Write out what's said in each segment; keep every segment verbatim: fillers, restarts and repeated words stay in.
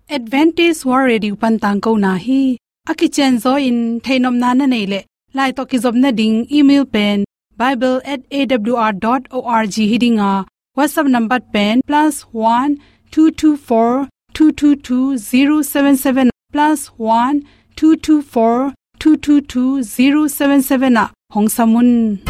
Adventist World Radio pan tangkona hi. A kicianzaw in theihnopna na neih leh, lai tawh kizopna ding email pen bible at A W R dot org hi ding a, WhatsApp number pen plus one two two four two two two zero seven seven, plus one two two four two two two zero seven seven ah hong sam un.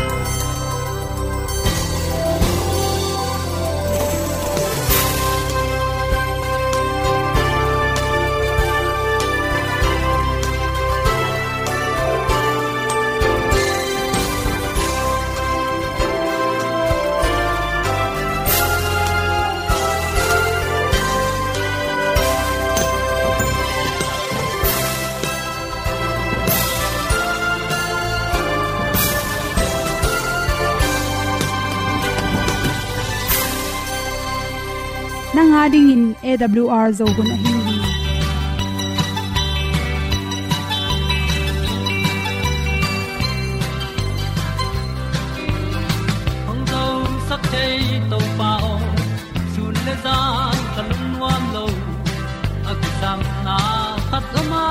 Nang a dingin A W R Zo hun ahi hi. Hong zosak thei Topa aw, sun le zan ka lungnuam lo. A kisapna khat om a,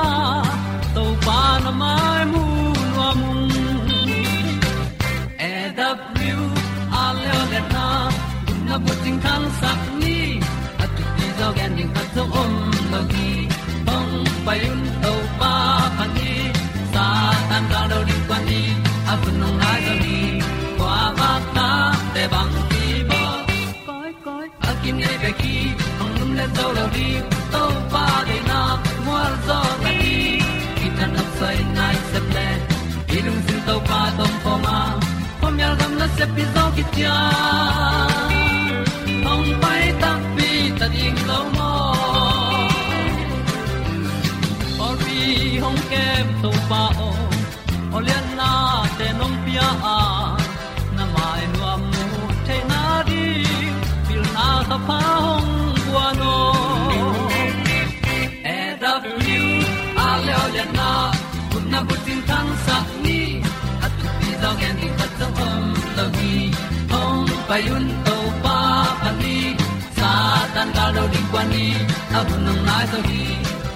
Topa na mai mu nuam ung. A W R leo le na, na bucing khangsak ni. A thupi zaw gen ding khat zong om lo hi. Hong pai un Topa phat ni. Satan gal do ding kua ni. A hun hong nai zaw ni. Kua bak na te bang ki bawl. Koi, koi, a kinei bek hi, hong lum le zo lo ding, Topa deihna mual zaw na hi. Kitang nok soi nai sep le, i lungsim Topa tawh om khawm a, khuamial gam nasep hi zaw kician. Hong pai takpi ta ding lo maw. Pawlpi hong kem Topa aw, awliatnate nong pia a, na mai nuam mu theihna ding, pilna kha pha hong guan aw. A W R leo le na, gupna bucing khangsak ni. A thupi zaw gen ding khat zong om lo hi. Hong pai un Topa phat ni. Satan gal do ding kua ni. A hun hong nai zaw hi.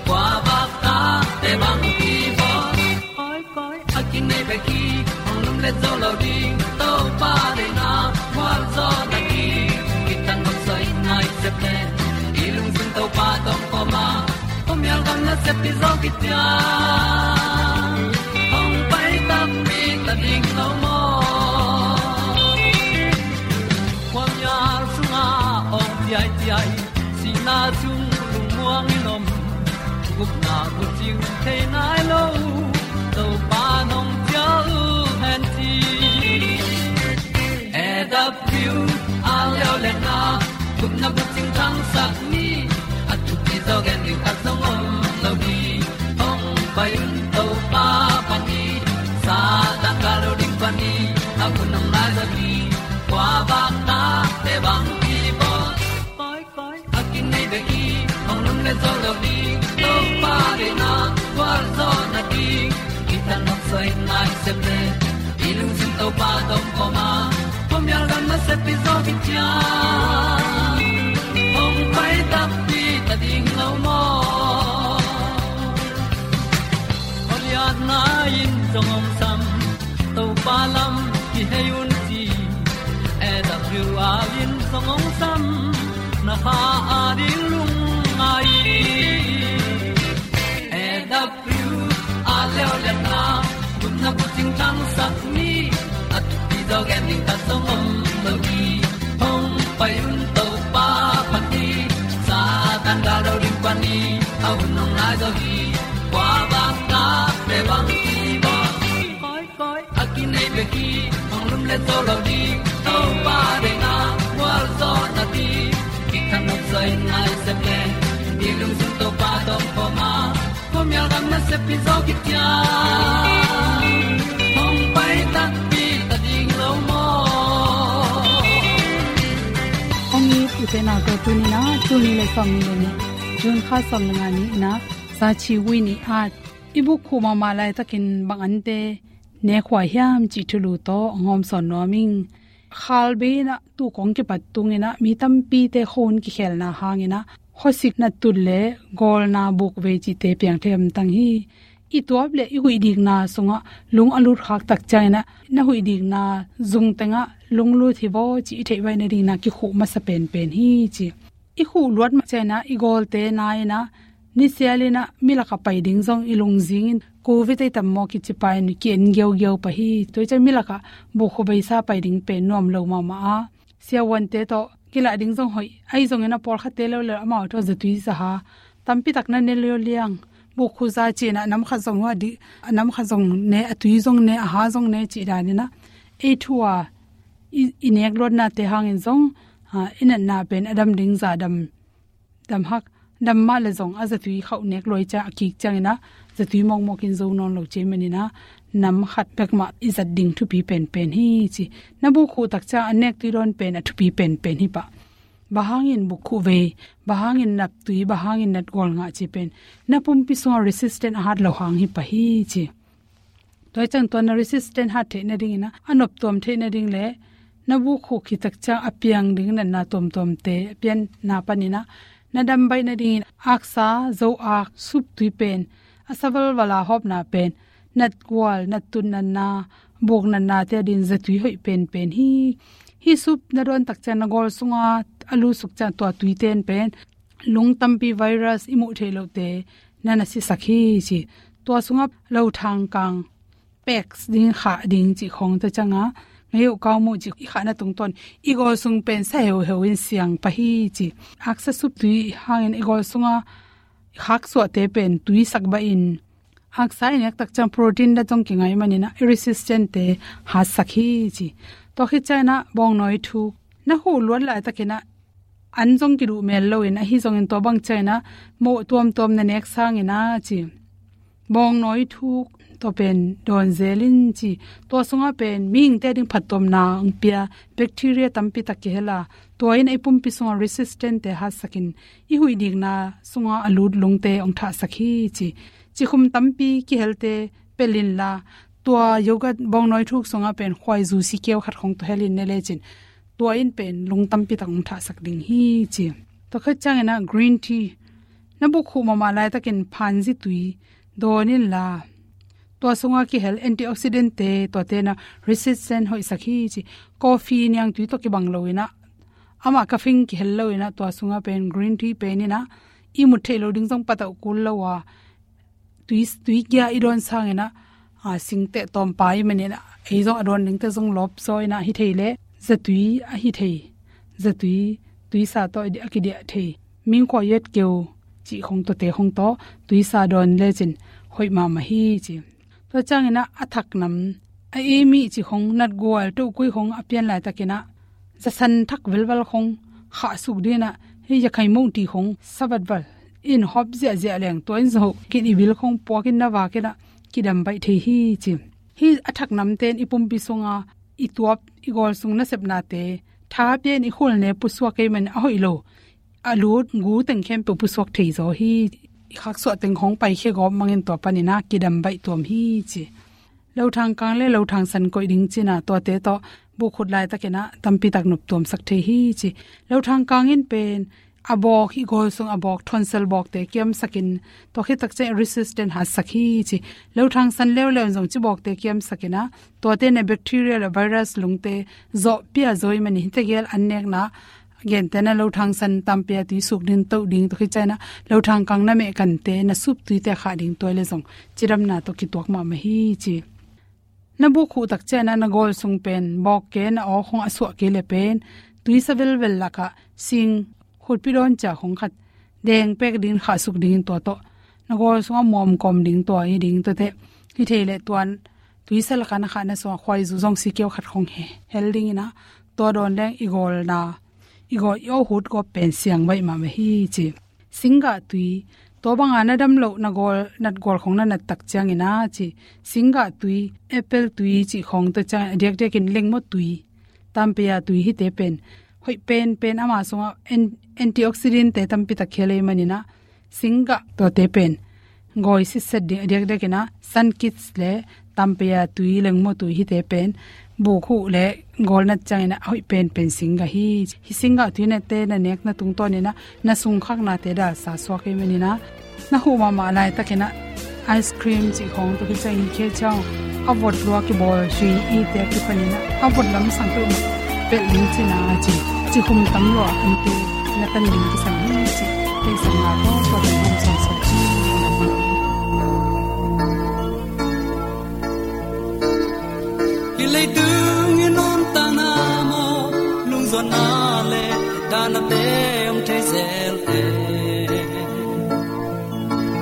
Kua bak ta te bang ki bawl. Koi, koi, a kinei bek hi, hong lum le zo lo ding, Topa deihna mual zaw na hi. Kitang nok soi nai sep le, i lungsim Topa tawh om khawm a, khuamial gam nasep hi zaw kician. Hong pai takpi ta ding lo maw. Khuamial sungah awng ciaiciai, sihna sung lungmuang in om, gupna bucing thei nai lo, Topa nong cial hen ci. A W R leo le na, gupna bucing khangsak ni. A thupi zaw gen ding khat zong om lo hi. Hong pai un Topa phat ni. Satan gal do ding phat ni. A hun hong nai zaw hi. Kua bak na te bang ki bawl. Koi, koi, a kinei bek hi, hong lum le zo lo ding, Topa deihna gual zaw na ding. Kitang nok soi nai sep le, i lungsim Topa tawh om khawm a, khuamial gam nasep hi zaw kician. Hong pai takpi ta ding lo maw. Awliatna in zong hong sam, Topa lam kihei un ci. A W R in zong hong sam, na kha a ding lungngai. A W R leo le na, gupna bucing khangsak ni. A thupi zaw gen ding khat zong om lo hi. Hong pai un Topa phat ni. Satan gal do ding phat ni. A hun hong nai zaw hi. Kua bak na te bang ki bawl. Koi, koi, a kinei bek hi, hong lum le zo lo ding, Topa deihna gual zaw na ding. Kitang nok soi nai sep le, i lungsim Topa tawh om khawm a, khuamial gam nasep hi zaw kician. Hong pai takpi ta ding lo maw. Hong it i pen a ko tuni na, tuni le sawm ni le ni, June kha sawm le nga ni na, Sachi Wi ni at. I buk khuh mahmah laitakin bang ante nekhuai hiam cih thulu tawh hong hawmsawn nuam ing. Khalbei in ah tu kong kipat tung in ah mi tampite khuahun kikhelna hang in ah khuasik nattun le gawlna bukvei cihte piang thei hamtang hi. I tuap le i huih dikna sungah lung a lut khak tak ciangin ah na huih dikna zung tengah lung lut hi vaw cih i theih baih nadingin ah kikhuh masa penpen hi ci. I khuh luat mah ciangin ah i gawlte na in ah nisial in ah milak ah pai ding zong i lungzing in covid ei tam maw kici pah in ki-en giaugiau pah hi. Tua ciang milak ah bukhuh beisa pai ding pen nuam lo mahmah a, siavuante tawh kilah ding zong hoih. Ahi zongin ah pawlkhatte leuleu amau tawh zatui zaha tampi tak na ne liauliang. Bukhuh za ci in ah nam khat zong hua dih, a nam khat zong ne, a tui zong ne, a ha zong ne cih danin ah ei thu a i, i nek luatnate hangin zong, a, i natna pen a dam ding za dam, dam hak, dam mah le zong a zatui khauh nek luai ciang a kik ciangin ah zatui mawkmawk in zo nawn lo ci ahih manin ah nam khat bek mah i zat ding thupi penpen hi ci. Na bukhuh tak ciang a nek tui dawn pen a thupi penpen hi pah. Bang hangin bukhuh vei, bang hangin nat tui, bang hangin nat gual ngah cih pen na pumpi sungah resistant a hat loh hang hi pah hi ci. Tua hi ciang tua na resistant hat theih nadingin ah a noptuam theih nading le na bukhuh khit tak ciang a piang ding natna tuamtuamte a pianna panin ah na dam baih nadingin aksa, zo ak, sup tui pen, a sa valval a hawpna pen, nat gual, nat tun natna, buk natnate adingin zatui hoih penpen hi. Hih sup na dawn tak ciang na gawl sunga a lut suk ciang tua tuite in pen lung tampi virus i muh theih lohte na na sisak hi ci. Tua sungah lothang kang, pex ding, khah ding cih khawng tua ciangah ngei uh kau muh cih i khahna tungtawn i gawl sung pen sa heuheu in siang pah hi ci. Aksa sup tui hangin i gawl sunga khaksuahte pen tuisak baih in aksa i nek tak ciang protein dah zong kingai manin ah i resistant-te hatsak hi ci. Tua khit ciangin ah bawngnawi thuk na huh luat laitakin ah an zong kiduh mel loin, ahi zongin tua bang ciangin ah mawh tuamtuam na nek sangin ah ci. Bawngnawi thuk tua pen dawn zel in ci. Tua sungah pen mihingte ading phattuamna hong pia bacteria tampi tak kihel a, tua in i pumpi sungah resistant-te hatsakin i huih dikna sungah a lut lungte hong thahsak hi ci. Cikhum tampi kihelte pelh inla, tua yogurt bawngnawi thuk sungah pen khuaizu sikkeu khat khawng tawh hel in ne lecin tua in pen lung tampi tak hong thahsak ding hi ci. Tua khit ciangin ah green tea, na bukhuh mahmah laitakin phanzi tui dawn inla, tua sungah kihel antioxidant-te, tuate in ah resistant hoihsak hi ci. Coffee niangtui tawh kibang loin ah, amah caffeine kihel loin ah, tua sungah pen green tea pen in ah i mut theih loh ding zong patauh kul lo a, tui, tui kia i dawn sangin ah, a, singteh tawmpa ahih manin ah ei zong a dawn dingte zong lawp zaw in ah hi thei leh zatui ahi thei, zatui, tuisa tawh a kidiah thei, mingkua yetkeu cih khawng tawh, te khawng tawh tuisa dawn lecin hoih mahmah hi ci. Tua ciangin ah a thak nam, a ei mih cih khawng, nat gual, tohkui khawng a pian laitakin ah zasan thak velval khawng khahsuk dingin ah, hih yakhai mongti khawng sa valval in hawp ziahziah leng, tua in zong kin i bil khawng puakin na vakin ah kidam baih thei hi ci. Hih a thak namte in i pumpi sunga i tuap, i gawl sung nasepnate tha pia in i khul ne pusuak kei man a hoih lo, a lut gu teng khempeuh pusuak thei zaw hi. I khaksuah teng khawng paikhia gawp mangin tua panin ah kidam baih tuam hi ci. Lothang kang le lothang san koih ding ci-in ah, tuate tawh bukhuh laitakin ah tampi tak noptuamsak thei hi ci. Lothang kang in pen a bawk, i gawl sung a bawk, tonsil bawkte kiamsakin, tua khit tak ciang resistant hatsak hi ci. Lothang san leuleu in zong ci bawkte kiamsakin ah, tuate in ah bacteria le virus lungte zawh pia zaw ahih manin hihte gel an nekna gente in ah lothang san tampia tui suk ding, toh ding, tua khit ciangin ah lothang kang na mehkante, na sup tuite khah ding, tua leh zong cidamna tawh kituak mahmah hi ci. Na bukhuh tak ciangin ah na gawl sung pen bawk ken a aw khawng a suah kei leh pen tuisa velvel lakah sing khutpi dawn cia khawng khat deng pek dingin khahsuk dingin tua tawh na gawl sungah muam kawm ding, tua hi ding, tuate hi thei leh tua tuisa lakah na khahna sungah khuaizu zong sikkeu khat khawng he, hel dingin ah tua dawn leng i gawlna, i gawl, i awhut gawp pen siang baih mahmah hi ci. Singgah tui, tua banga na dam loh na gawl, nat gual khawng na nat tak ciangin ah ci, singgah tui, apple tui cih khawng, tua ciangin a diakdiakin lengmaw tui, tampia tui, hihte pen hoih penpen, ama sungah an-, antioxidant-te tampi tak kihel ahih manin ah singgah, tuate pen gawi sitset ding, a diakdiakin ah sunkist le tampia tui, lengmaw tui, hihte pen buk huh le gawlnat ciangin ah a hoih penpen singgah hi. Hih singgah tuihuinte na nekna tungtawnin ah na sungkhaknate dalsa suak ahih manin ah, na huh mahmah laitakin ah ice cream cih khawng tawh kiciangin khit ciang a vot lua kibawl zui ite a kipanin ah a vot lamsang peuhmah pelh ding cihna a ci. Cihum tam lua a kante na tan ding kisam hi cih theihsakna tawh tua teng hong sawmsawm hi. Hih leitung i nuntakna maw, lungzuanna le dahnate hong thei zel e.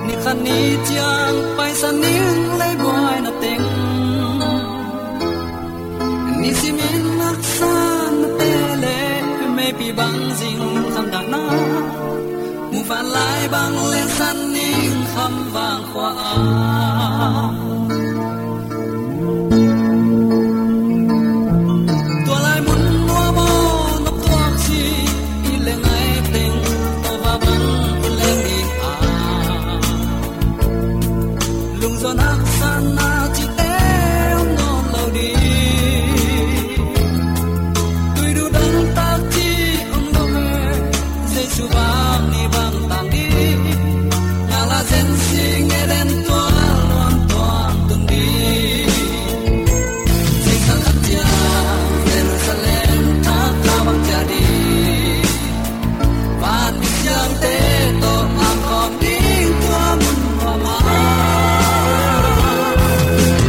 Ni khat ni ciang paisan ning lei buaina teng, nisimin haksatnate le meipi bang zing khamdahna, muvanlai bang le san ning khamvang khua-ah. Tua lai mun nuam aw, na tuak cih i leng ai teng, tua va bang i leng ding a, lungzuan haksatna cihte om nawn lo ding. Tuiduh dangtak cih om lo e, Jesu bang ni bang tang ding. Ngala zen sing Eden tual luang tuang tung ding. Zingsang khat ciang Jerusalem thak kha bang ciah ding. Van misiangte tawh a kawm ding tua mun nuam ah.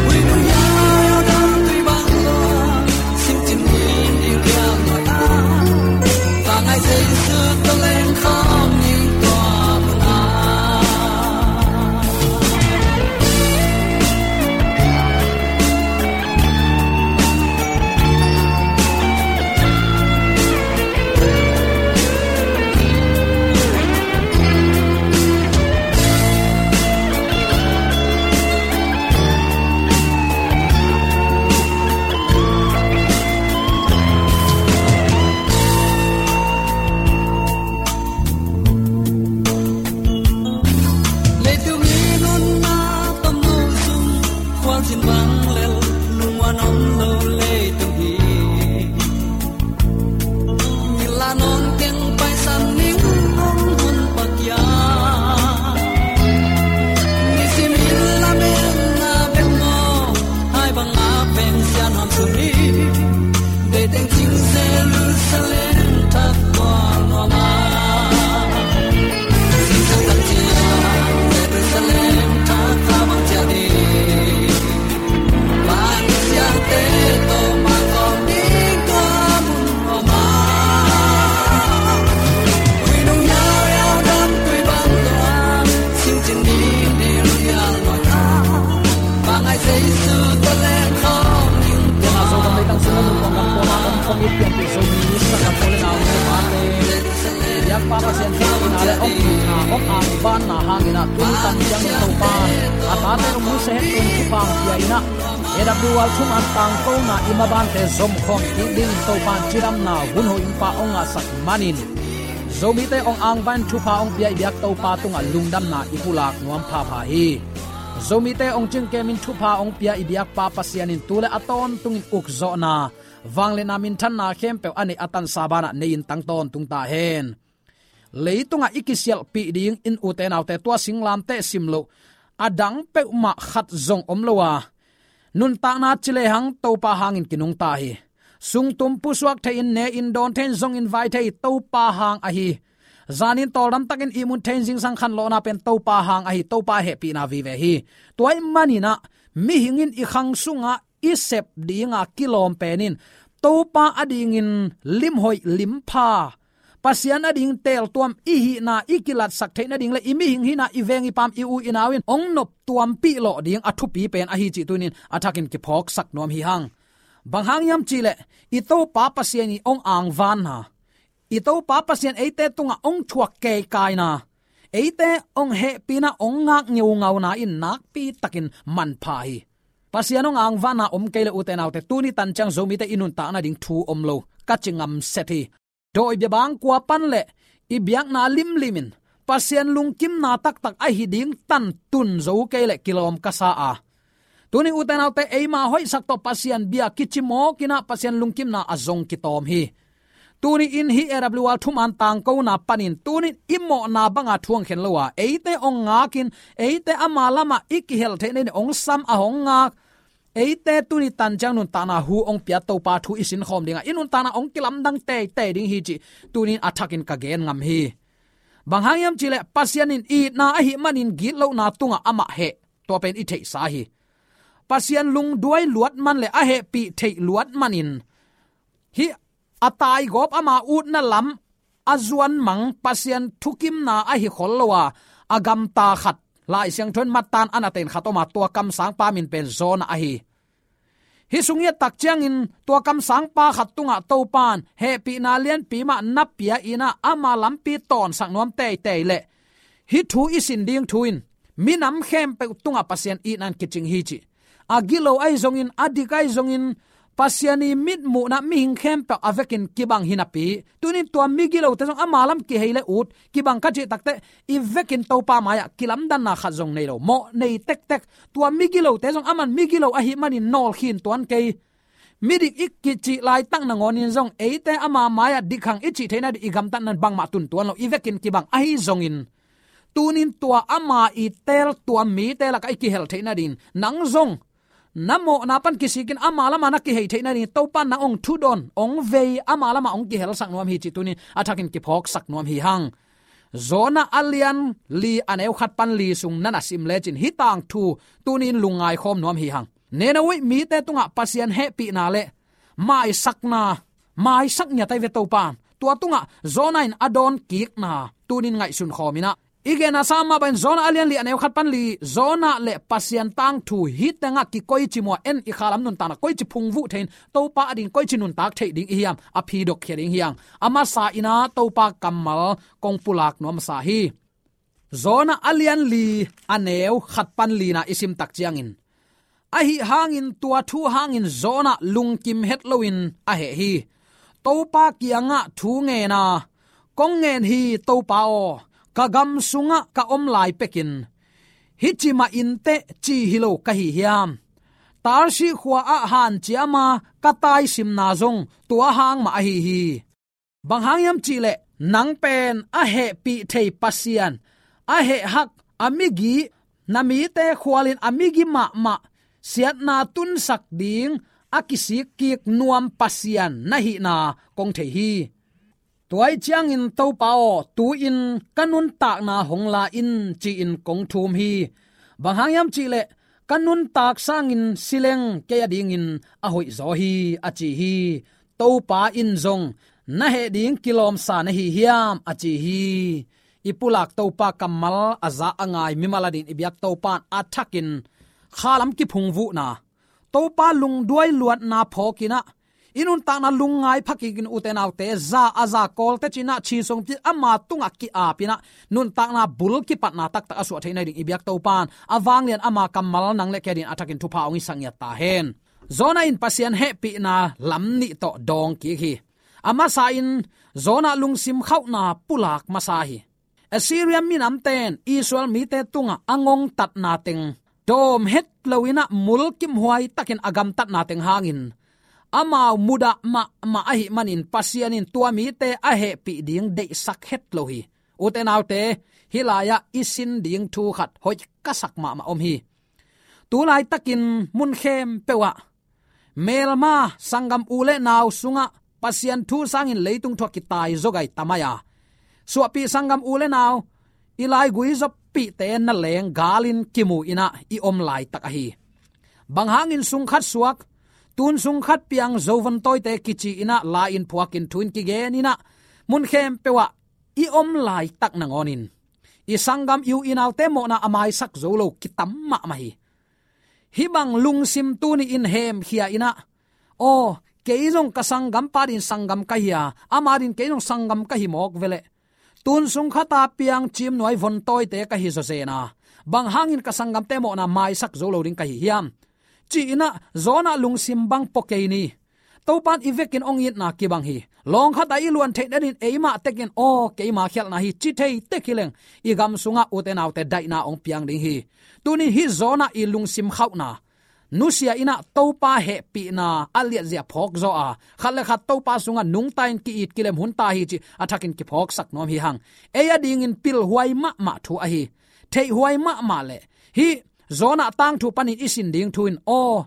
Ui nung yau dam tui bang lua, singcin ni ni liang nuai ah. Vangai Jesu tawh leng khawm ning tua mun ah. Leitung i nunna tomno sung, khualzin bang lel lungua nuam lo leitung hi. Ngilna nawn keng paisan ning hong hun pakia. Nisimin lametna bek maw, hai bang a peng sian ham suni. Deih teng cing Jerusalem thak kual nuam ah. Zingsang khat ciang Jerusalem thak kha bang ciah ding. Van misiangte tawh a kawm ding tua mun nuam ah. Ui nung yau yau dam tui bang lua, singcin ni ni liang nuai ah. Vangai Jesu tawh leng khawm ning tua. Tena Zomi leitang sung a nuntakna kuama om khawm i pianpih Zomi sakna pawl le nau le pate, biakpa Pasian thuhilhna le hong itna, hong angvanna hangin ah tuni tan ciangin Topa a tate hong nusia het ding thupha hong pia in ah, A W R thuman tangkona i mabante zom khawm kik dingin Topa in cidamna hun hoih in pa hong ngahsak manin, Zomite hong angvan thupha hong pia i biak Topa tungah lungdamna i pulak nuam phapha hi. Zomite hong cingkemin thupha hong pia i biakpa Pasian in tu le a tawntungin ukzawhna, vangliatna, minthanna khempeuh a neih a tansa banah nei-in tang tawntung ta hen. Leitungah i kisialhpih ding in, ute naute, tua singlamteh sim loh a dang peuhmah khat zong om lo a, nuntakna ci lehang Topa hangin kinungta hi. Sungtum pusuak thei-in, ne-in dawn thei-in, zongin vai thei Topa hang ahi. Zanin tawldamtakin ihmut thei-in, zingsang khanlawhna pen Topa hang ahi. Topa hehpihna vive hi. Tua ahih manin ah mihing in i khang sungah i sep dinga kilawm pen in Topa adingin limhoih limpha, Pasian ading teeltuam i hihna i kilatsak theih nading le i mihing hihna, i veng i paam, i u i nau in hong noptuampih lawh ding a thupi pen ahi cih tuni-in a thakin kiphawksak nuam hi hang. Bang hang hiam cih leh i Topa Pasian i hong angvanna, i Topa Pasian eite tungah hong thuak keikaina, eite hong hehpihna, hong ngak ngeungauna in nakpi takin manpha hi. Pasian hong angvanna om kei leh, ute naute, tuni tan ciang Zomite i nuntak nading thu om lo, ka ci ngamset hi. Dawi biabang kua pan le i biakna limlim in Pasian lungkimna taktak ahi ding tan tun zo kei leh kilawm ka sa a, Tuni ute naute, eima hoihsak tawh Pasian bia kici mawk in ah Pasian lungkimna a zong kitawm hi. Tuni in hih A W R thuman tangkona panin tuni in i mawhna banga thu hong khen lo a, eite hong ngakin, eite ama lamah i kihel theihna in hong sam a hong ngak, eite tuni tan ciang nuntakna hu hong pia Topa thu i sinkhawm dingah i nuntakna hong kilamdang teitei ding hi cih tuni in a thakin ka gen ngam hi. Bang hang hiam cihleh Pasian in itna ahih manin gitlohna tungah amah heh, tua pen i theihsa hi. Pasian lungduai luat man le a hehpih theih luat manin hih a taigawp ama utna lam a zuan mang Pasian thukimna ahi khol lo a, a gamta khat, Lai Siangtho in Mattan a na ten khat om a, tua kamsangpa min pen Jonah ahi. Hih sung i et tak ciangin tua kamsangpa khat tungah Topan hehpihna lianpi mah na pia in ah ama lampi tawnsak nuam teitei leh hih thu i sin ding thu in minam khempeuh tungah Pasian itna in kicing hi cih. A gilo ahi zongin, a dik ahi zongin, Pasian i mitmuhna mihing khempeuh a vekin kibang hi napi, tuni in tua migilote zong ama lam kihei le ut kibang ka cih takteh i vekin Topa mai-ah kilamdanna khat zong nei lo, mawh nei tektek. Tua migilote zong aman migilo ahih manin nawlkhin tuan kei, midik i kicih laitak nangawnin zong eite ama mai-ah dik hang i cih theihna ding i gamtatna in bangmah tun tuan lo, i vekin kibang ahi zongin, tuni in tua ama i teel, tua mite lakah i kihel theihna dingin nang zong na mawhna pan kisikin ama lamah na kihei theihna dingin Topa in nang hong thudon, hong vei, ama lamah hong kihelsak nuam hi cih tuni in a thakin kiphawksak nuam hi hang. Jonah a lian li a neu khat pan li sung na na sim lecin hih tangthu tuni in lungngai khawm nuam hi hang. Nineveh mite tungah Pasian hehpihna le maisakna, maisak ngiat ahi ve Topa in. Tua tungah Jonah in a dawn kikna tuni in ngaihsun khawm in ah i gen a sa mah bangin Jonah a lian li a neu khat pan li, Jonah le Pasian tangthu hih tengah kikoici muh a, en i khalam nuntakna koici phungvuh thei in, Topa ading koici nuntak theih ding i hiam, a phidokkhia ding hi hang. A masa in ah Topa kammal kong pulak nuam masa hi. Jonah a lian li a neu khat pan lina i sim tak ciangin, ahih hangin tua thu hangin Jonah lungkim het loin a heh hi. Topa kiangah thu ngen a, kong ngen hi Topa aw, ka gam sungah ka om lai pekin hih ci mah inteh ci hi lo ka hi hiam? Tarshish khua-ah hanciam a ka taisimna zong tua hang mah ahi hi. Bang hang hiam cihleh nang pen a hehpih thei Pasian, a hehhak, a migi, na mite khualin a migi mahmah siatna tunsak ding a kisikkik nuam Pasian na hihna kong thei hi. Tua ahih ciangin Topa aw, tu-in ka nuntakna hong la in ci-in kong thum hi. Bang hang hiam cihleh ka nuntak sangin si leng kei adingin a hoihzaw hi, a ci hi. Topa in zong na heh ding kilawmsa na hi hiam, a ci hi. I pulak Topa kammal a za a ngai mimal adingin i biak Topa in a thakin khalam kiphungvuhna, Topa lungduai luatna phawk in ah i nuntakna lungngai phakik in, ute naute, za a za kawlte cih in ah, ci sungpi ama tungah ki-ap in ah nuntakna bul kipatna taktak a suah theihna ding i biak Topa in a vanglian ama kammal nang le kei adingin a thakin thupha hong hisak ngiat ta hen. Jonah in Pasian hehpihna lam nih tawh dawng kik hi. A masa in Jonah lungsim khauhna pulak masa hi. Assyria minamte in Israel mite tungah a ngongtatna teng dawm het loin ah mulkimhuai takin a gamtatna teng hangin amau mudah mahmah ahih manin Pasian in tua mite a hehpih ding deihsak het lo hi. Ute naute, hih lai-ah i sin ding thu khat hoih ka sak mahmah om hi. Tu laitakin mun khempeuh ah melma sanggam u le nau sungah Pasian thu sangin leitung thu-ah kitai zaw gai ta mai a, suahpih sanggam u le nau i laigui zawppihte na leng galin kimu in ah i om laitak ahi. Bang hangin sung khat suak, tun sung khat piang, zo vontawite kici in ah la-in phuakin thu-in kigen in ah mun khempeuh ah i om laitak nangawnin i sanggam, i u i naute mawhna a maisak zo lo kitam mahmah hi. Hih bang lungsim tuni in hemkhia in ah, aw, kei zong ka sanggampa adingin sanggam ka hi a, ama adingin kei zong sanggam ka hi mawk veleh, tun sung khat a piang cimnuai vontawite ka hi zawzen a, bang hangin ka sanggamte mawhna maisak zo lo ding ka hi hiam, ci in ah Jonah lungsim bang pua kei ni. Topa in i vekin hong itna kibang hi. Lawng khat ah i luan theihna dingin eimah tekin, aw, keima khialhna hi, ci thei tek hi leng, i gam sungah, ute naute, daihna hong piang ding hi. Tuni hih Jonah i lungsim khauhna, nusia in ah Topa hehpihna a liatzia phawk zaw a, khat le khat Topa sungah nungta in ki-it kilem hun ta hi cih a thakin kiphawksak nuam hi hang. Ei a dingin pilhuai mahmah thu ahi, theihhuai mahmah le hih Jonah tangthu panin i sin ding thu in, aw,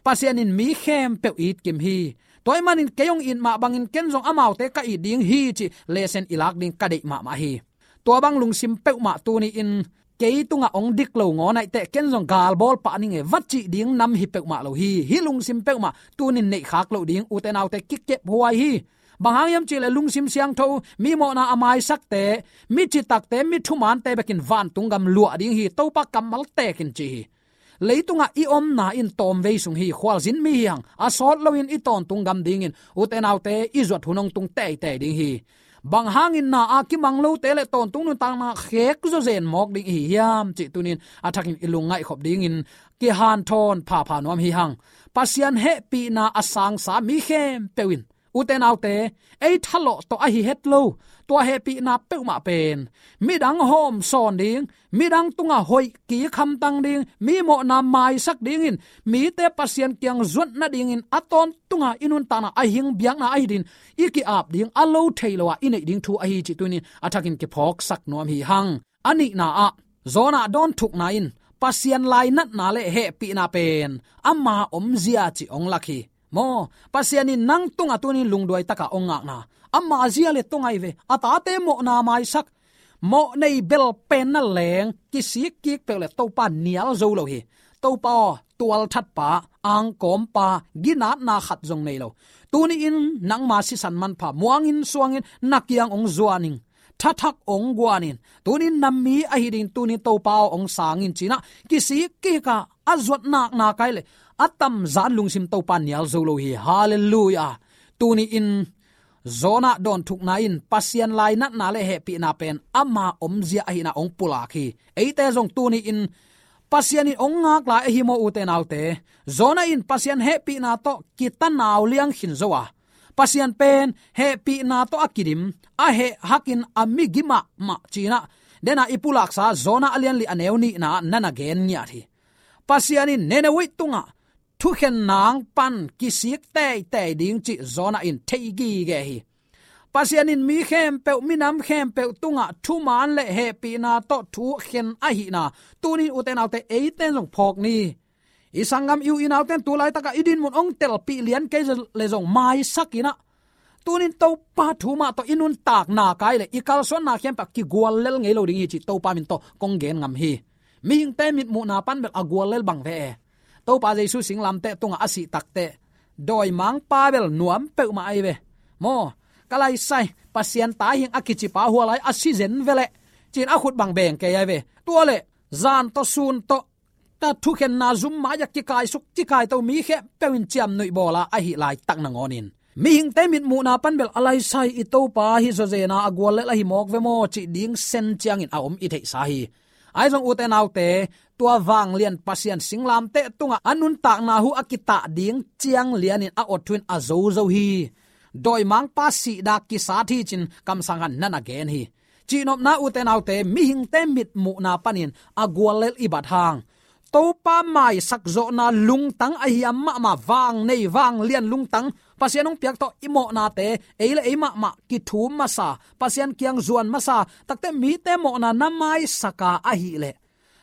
Pasian in mi khempeuh it kim hi. Tua ahih manin kei hong it mah bangin ken zong amaute ka it ding hi cih lesson i lak ding ka deih mahmah hi. Tua bang lungsim peuhmah tuni in kei tungah hong dik lo ngawn ahih teh ken zong galbawl pah ning e, va cih ding nam hi peuhmah lo hi. Hih lungsim peuhmah tuni in neihkhak loh ding, ute naute, kikephuai hi. Bang hang hiam cih leh lungsim siangtho, mi mawhna a maisakte, mi citakte, mi thumante bekin vantung gam luah ding hi, Topa kammal tekin ci hi. Leitungah i omna in tawmvei sung hi, khualzin mi hi hang, a sawt loin i tawntung gam dingin, ute naute, i zuat hun hong tung teitei ding hi. Bang hangin na a kimang lote le tawntung nuntakna khek zawzen mawk ding i hi hiam cih tuni in a thakin i lungngaih khop dingin kihanthawn phapha nuam hi hang. Pasian hehpihna a sangsa mi khempeuh in, ute naute, ei thalawh tawh ahi het lo, tua hehpihna peuhmah pen midang hawm sawn ding, midang tungah hoih kik hamtang ding, mi mawhna maisak dingin, mite Pasian kiang zuat nadingin a tawntunga i nuntakna, a hing biakna ahi din i ki-ap ding, a lo thei lo a i neih ding thu ahi cih tuni in a thakin kiphawksak nuam hi hang. A nihna ah, Jonah dawnthukna in Pasian lainatna le hehpihna pen ama omzia cih hong lak hi. Maw, Pasian in nang tungah tuni in lungduai taka hong ngakna, ama zia le tawng ahi ve, a tate mawhna maisak, mawh nei bel pen na leng, kisik kik peuh le Topa nial zo lo hi. Topa aw, tualthatpa, angkawmpa, ginatna khat zong nei lo. Tuni in nangma sisan manpha muangin suangin na kiang hong zuan ing. Thathak hong guan in, tuni in na mi ahi ding, tuni in Topa aw hong sang in ci-in ah kisik kik a, a zuat naknak ahi leh a tamzan lungsim Topa nial zo lo hi. Halleluiah. Tuni in Jonah dawnthukna in Pasian lainatna le hehpihna pen ama omzia ahihna hong pulak hi. Eite zong tuni in Pasian in hong ngak lai ahi maw, ute naute? Jonah in Pasian hehpihna tawh kitanau liang khin zo a, Pasian pen hehpihna tawh a kidim, a heh hakin a migi mahmah ci-in ah, dena i pulaksa Jonah a lian li a neu nihna ah na na gen ngiat hi. Pasian in Nineveh tungah thukhen nang pan kisik teitei ding cih Jonah in thei gige hi. Pasian in mi khempeuh, minam khempeuh tungah thuman le hehpihna tawh thu khen ahihna, tuni in ute naute, eite in zong phawk ni. I sanggam i u i naute in tu laitakah i dinmun hong telpih lian kei le zong maisak in ah, tuni in Topa thu mah tawh i nuntakna kai le i kalsuanna khempeuh ah kiguallel ngei lo ding hi cih Topa min tawh kong gen ngam hi. Mihingte mitmuhna pan bel a guallel bang ve e. Topa Jesu singlamteh tungah a sih takteh, dawimangpa bel nuam peuhmah ahi ve. Maw, ka laisai, Pasian ta hing a kicipa hua lai a si zen ve leh, ci-in a khut bang beng kei ahi ve. Tua leh zan tawh sun tawh, ta thukhenna zum mai-ah kikaisuk kikaito mi khempeuh in ciamnuih bawl a, ahih laitak nangawnin mihingte mitmuhna pan bel a laisai, i Topa hi zawzen a, a guallel ahi mawk ve maw, cih ding sen ciangin a om i theihsa hi. Ahi zong ute naute, tua vanglian Pasian singlamteh tungah a nuntakna hu a kitah ding ciang lianin a awt thu in a zozo hi. Dawimangpa sihna kisat hi ci-in kamsang khat na na gen hi. Cihnopna ute naute, mihingte mitmuhna panin a guallel i bat hang, Topa maisak zawhna lungtang a hiam mahmah, vang nei, vanglian lungtang, Pasian hong piak tawh i mawhnate, ei le ei mahmah kithum masa, Pasian kiang zuan masa, takteh mite mawhna na maisak a ahih leh,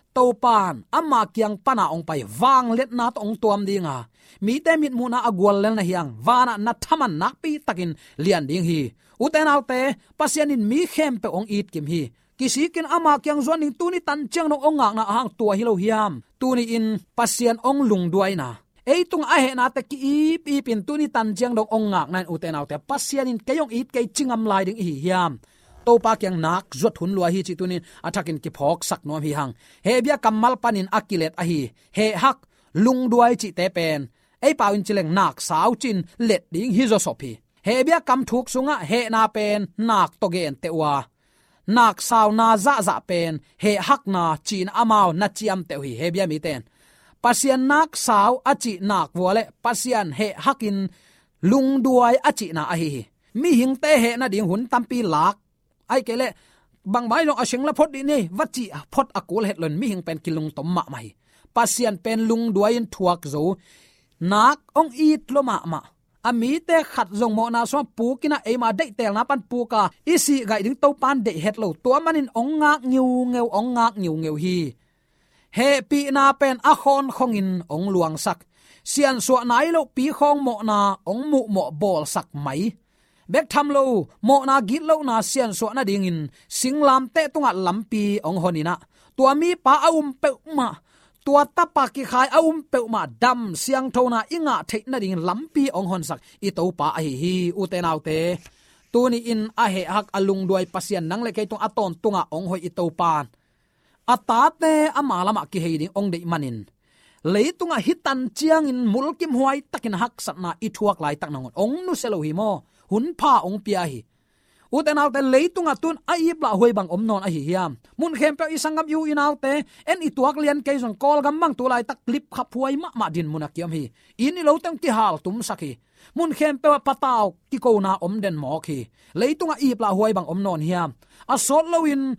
Topa'n ama kiang pana hong pai, vangliatna tawh hong tuam ding a, mite mitmuhna a guallel na hi hang, vanah na thaman nakpi takin lian ding hi. Ute naute, Pasian in mi khempeuh hong it kim hi. Kisikin ama kiang zuan ding, tuni tan ciang dong hong ngakna ahang tua hi lo hiam? Tuni in Pasian hong lungduaina, ei tungah a hehnate ki-ip ipin tuni tan ciang dong hong ngakna in, ute naute, Pasian in kei hong it kei ci ngam lai ding i hi hiam? Topa kiang nak zuat hun lua hi cih tuni in a thakin kiphawksak nuam hi hang. Hebru kammal panin a kilet ahi heh hak, lungduai cihte pen ei pau in ci leng nak sau ci-in let ding hi zawsop hi. Hebru kamthuk sungah hehna pen nak tawh genteh uh a, nak sauna zahzah pen heh hakna ci-in amau na ciamteh uh hi, Hebru mite in. Pasian nak sau a cih nak vua le Pasian heh hakin lungduai a cihna ahi hi. Mihingte heh nading hun tampi lak, ahih kei leh bangmah hi zong a seng la phot dih ni, va cih phot a kul het lo in mihing pen kilungtom mahmah hi. Pasian pen lungduai-in thuak zo, nak hong it lua mahmah. A mite khat zong mawhna sungah pukin ah eima deihtelna pan puk a, i sihgaih ding Topan deih het lo. Tua manin hong ngak ngiungeu, hong ngak ngiungeu hi. Hehpihna pen a khawnkhongin hong luangsak. Siansuah nai lopi khawng mawhna hong muhmawh bawlsak mai. Bek tham lo, mawhna gitlohna siansuah nadingin singlamteh tungah lampi hong hon in ah, tua mipa a um peuhmah, tua tapa kikhai a um peuhmah dam siangthona i ngah theih nadingin lampi hong honsak i Topa ahi hi. Ute naute, tuni-in a hehhak a lungduai Pasian nang le kei tungah a tawntungah hong hoih i Topan a tate ama lamah kihei ding hong deih manin, leitungah hih tan ciangin mulkimhuai takin haksatna i thuak laitak nangawn hong nusia lo hi maw? Hun pha hong pia hi. Ute naute, leitungah tun a iplah huai bang om nawn ahi hiam? Mun khempeuh i sanggam, i u i naute, en i tuak lian kei zong Kawlgam bang tu laitak lipkhap huai mahmah dinmun a kiom hi. Inn i lo teng kihal tumsak hi. Mun khempeuh ah patau kikona om den mawk hi. Leitungah iplah huai bang om nawn hiam? A sawt loin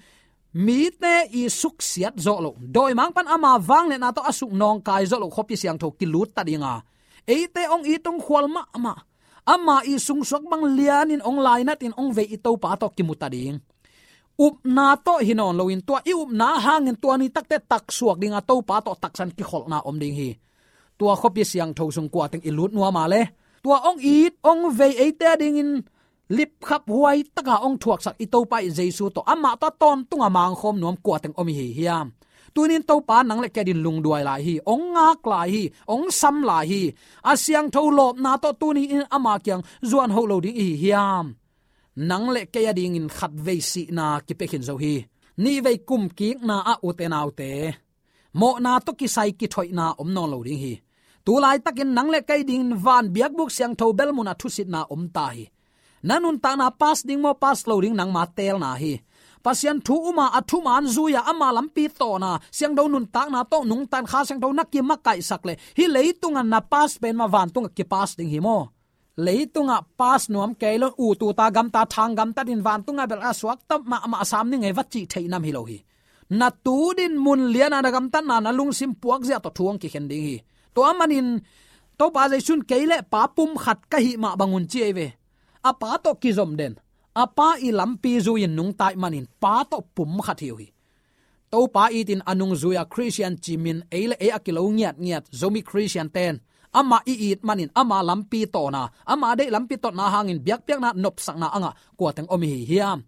mite i suksiat zawh loh, dawimangpa'n ama vangliatna tawh a suk nawngkai zawh loh khuapi siangtho kilut ta ding a, eite hong it hong khual mahmah, ama i sungsuak bang lianin hong lainatin hong vei i Topa tawh kimu ta ding. Upna tawh hi nawn loin, tua i upna hangin tua ni takteh taksuak ding a, Topa tawh taksan kikholhna om ding hi. Tua khuapi siangtho sung kuateng i lut nuam a le, tua hong it hong vei eite a dingin lipkhap huai taka hong thuaksak i Topa i Jesu tawh, amah tawh a tawntunga mangkhawm nuam kuateng om i hi hiam? Tunin Topa nang le kei adingin lungduai lai hi, hong ngak lai hi, hong sam lai hi. A siangtho lawpna tawh tuni-in ama kiang zuan hoh lo ding i hi hiam? Nang le kei adingin khatvei sihna kipia khin zo hi. Nihvei kumkikna ah, ute naute, mawhna tawh kisai kithoihna om nawn lo ding hi. Tu laitakin nang le kei dingin van biakbuk siangtho bel munah thusitna om ta hi. Na nuntakna pass ding maw, pass lo ding, nangma teelna hi. Pasian thu um a, a thuman zui a, ama lampi tawn a, siangtho nuntakna tawh nungta in Kha Siangtho na kimakaihsak leh, hih leitunga na pass pen mah vantungah kipass ding hi maw? Leitungah pass nuam kei lo, ut ut a, gamta, thang gamtat in vantungah bel a suakta mahmah sam ning ei va cih theih nam hi lo hi. Na tu dinmun liana na gamtatna, na lungsim puakzia tawh thu hong kikhen ding hi. Tua manin Topa Jesu in kei le Pa pumkhat ka hih mah bangun ci ei ve. A Pa tawh kizom den, a Pa i lampi zui-in nungta ih manin Pa tawh pumkhat hi uh hi. Topa itin a nungzui a Khristian ci min ei le ei a kilo ngiatngiat Zomi Khristian ten, amah i it manin ama lampi tawn a, ama deih lampi tawtna hangin biakpiakna nopsakna a ngah kuateng om i hi hiam?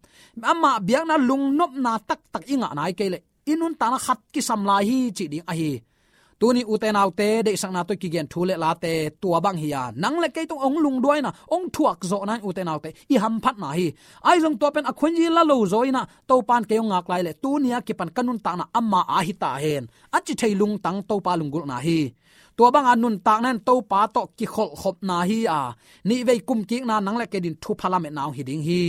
Amah biakna lungnopna taktak i ngah nai kei leh i nuntakna khat kisam lai hi cih ding ahi. Tuni ute naute, deihsakna tawh kigen thu le late tua bang hi a, nang le kei tung hong lungduaina, hong thuakzawhna in ute naute i hamphatna hi. Ahi zong tua pen a khuanzi la lo zaw in ah, Topa in kei hong ngak lai leh tuni a kipan ka nuntakna ama a hi ta hen, a ci thei lungtang Topa lunggulhna hi. Tua banga nuntakna in Topa tawh kikholhkhopna hi a, nihvei kumkikna nang le kei adingin thupha lametna hong hi ding hi.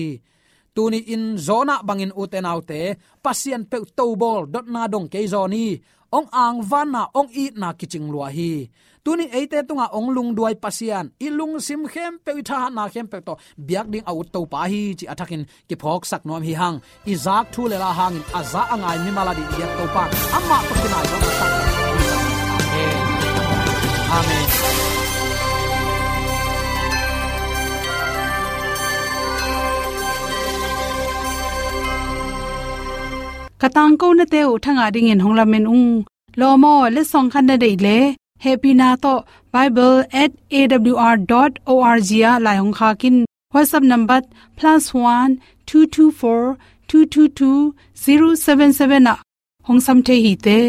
Tuni-in Jonah bangin ute naute, Pasian peuh tobawl, dotna dong kei zaw ni, hong angvanna, hong itna kicing lua hi. Tunin eite tungah hong lungduai Pasian, i lungsim khempeuh, i thahatna khempeuh tawh biak ding a ut Topa hi cih a thakin kiphawksak nuam hi hang. I zak thu le la hangin a za a ngai mimal ading i biak Topa, amah tawh kinai zo na sak. Amen. Amen. Ka tangkonate uh thangah dingin hong lamen ung. Lawm aw, letsong khat na deih leh, hehpihna tawh bible at A W R dot O R G ah lai hong khak in. WhatsApp number plus one two two four two two two zero seven seven ah hong sam thei hi te.